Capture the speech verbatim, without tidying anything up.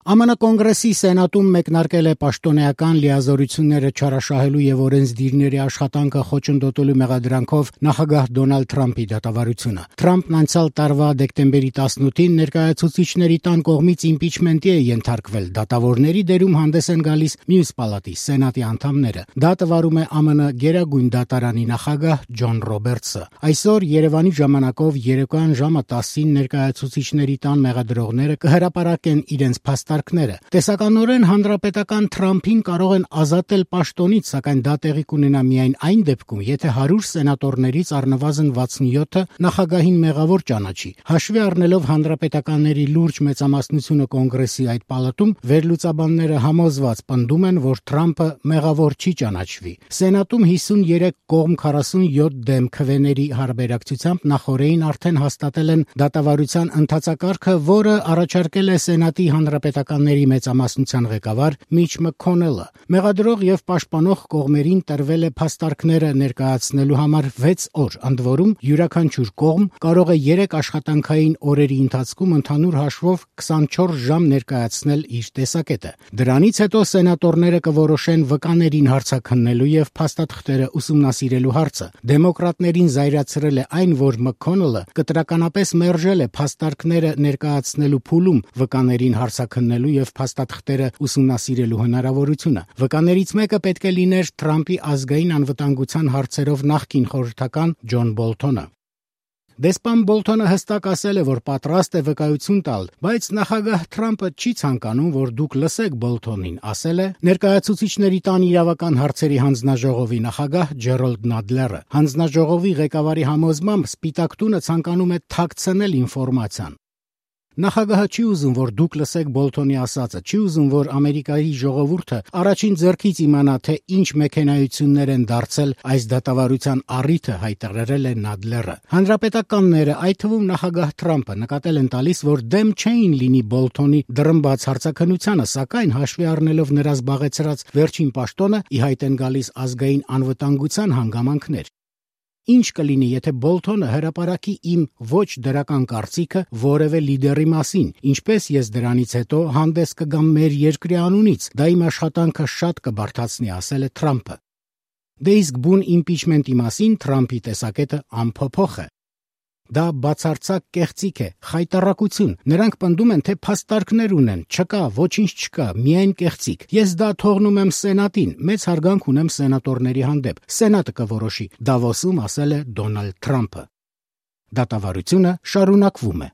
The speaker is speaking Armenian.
Է Մ Ն Կոնգրեսի Սենատում մեկնարկել է պաշտոնեական լիազորությունները չարաշահելու եւ օրենսդիրների աշխատանքը խոչընդոտելու մեղադրանքով նախագահ Դոնալդ Թրամփի դատավարությունը։ Թրամփն անցյալ տարվա դեկտեմբերի տասնութին ներկայացուցիչների տան կողմից իմպիչմենտի է ենթարկվել։ Դատավորների դերում հանդես են գալիս մյուս պալատի Սենատի անդամները։ Դա տվարում է Է Մ Ն Գերագույն դատարանի նախագահ Ջոն Ռոբերտսը։ Այսօր Երևանի ժամանակով երեկոյան ժամը տասին ներկայացուցիչների տան մեղադրողները կհրապարակեն իրենց փաստարկները։ Տեսականորեն հանրապետական Թրամփին կարող են ազատել պաշտոնից, սակայն դա տեղի կունենա միայն այն դեպքում, եթե հարյուր սենատորներից առնվազն վաթսունյոթը նախագահին մեղավոր ճանաչի։ Հաշվի առնելով հանրապետականների լուրջ մեծամասնությունը կոնգրեսի այդ պալատում, վերլուծաբանները համոզված պնդում են, որ Թրամփը մեղավոր չի ճանաչվի։ Սենատում հիսունյուրեք կողմ քառասունյոթ դեմ քվեների հարաբերակցությամբ նախորդին արդեն հաստատել են դատավարության ընթացակարգը, որը առաջարկել է Սենատի հանրապետականների մեծամասնության ղեկավար Միչ Մքոնելը։ Մեղադրող եւ պաշտպանող կողմերին տրվել է փաստարկները ներկայացնելու համար վեց օր, ընդ որում յուրաքանչյուր կողմ կարող է երեք աշխատանքային օրերի ընթացքում ընդհանուր հաշվով քսանչորս ժամ ներկայացնել իր տեսակետը։ Դրանից հետո սենատորները կորոշեն վկաներին հարցաքննելու եւ փաստաթղթերը ուսումնասիրելու հարցը։ Դեմոկրատներին զայրացրել է այն, որ Մքոնելը կտրականապես մերժել է փաստարկները ներկայացնելու փուլում վկաներին հարցաքննելու եւ փաստաթղթերը ուսումնասիրելու հնարավորությունը։ Վկաներից մեկը պետք է լիներ Թրամփի ազգային անվտանգության հարցերով նախկին խորհրդական Ջոն Բոլթոնը։ Դեսպան Բոլթոնը հստակ ասել է, որ պատրաստ է վկայություն տալ, բայց նախագահ Թրամփը չի ցանկանում, որ դուք լսեք Բոլթոնին, ասել է ներկայացուցիչների տան իրավական հարցերի հանձնաժողովի նախագահ Ջերոլդ Նադլերը։ Հանձնաժողովի ղեկավարի համոզմամբ Սպիտակ տունը ցանկանում է թաքցնել ինֆորմացիան։ Նախագահը չի ուզում, որ դուք լսեք Բոլթոնի ասածը, չի ուզում, որ Ամերիկայի ժողովուրդը առաջին ձեռքից իմանա, թե ինչ մեքենայություններ են դարձել այս դատավարության առիթը, հայտարարել է Նադլերը։ Հանրապետականները, այդ թվում նախագահ Թրամփը, նկատել են տալիս, որ դեմ չէին լինի Բոլթոնի դռնբաց հարցաքննությանը, սակայն հաշվի առնելով նրա զբաղեցրած վերջին պաշտոնը, ի հայտ են գալիս ազգային անվտանգության հանգամանքներ։ Ինչ կլինի, եթե Բոլթոնը հրապարակի իմ ոչ դրական կարծիքը որևէ լիդերի մասին, ինչպես ես դրանից հետո հանդես կգամ մեր երկրի անունից, դա իմ աշխատանքը շատ կբարդացնի, ասել է Թրամփը։ Դե իսկ բուն իմպիչմենտի մասին Թրամփի տեսակետը անփոփոխ է։ Դա բացարձակ կեղծիք է, խայտառակություն։ Նրանք պնդում են, թե փաստարկներ ունեն, չկա, ոչինչ չկա, միայն կեղծիք։ Ես դա թողնում եմ Սենատին, մեծ հարգանք ունեմ սենատորների հանդեպ։ Սենատը կորոշի, Դավոսում ասել է Դոնալդ Թրամփը։ Դատավարությունը շարունակվում է։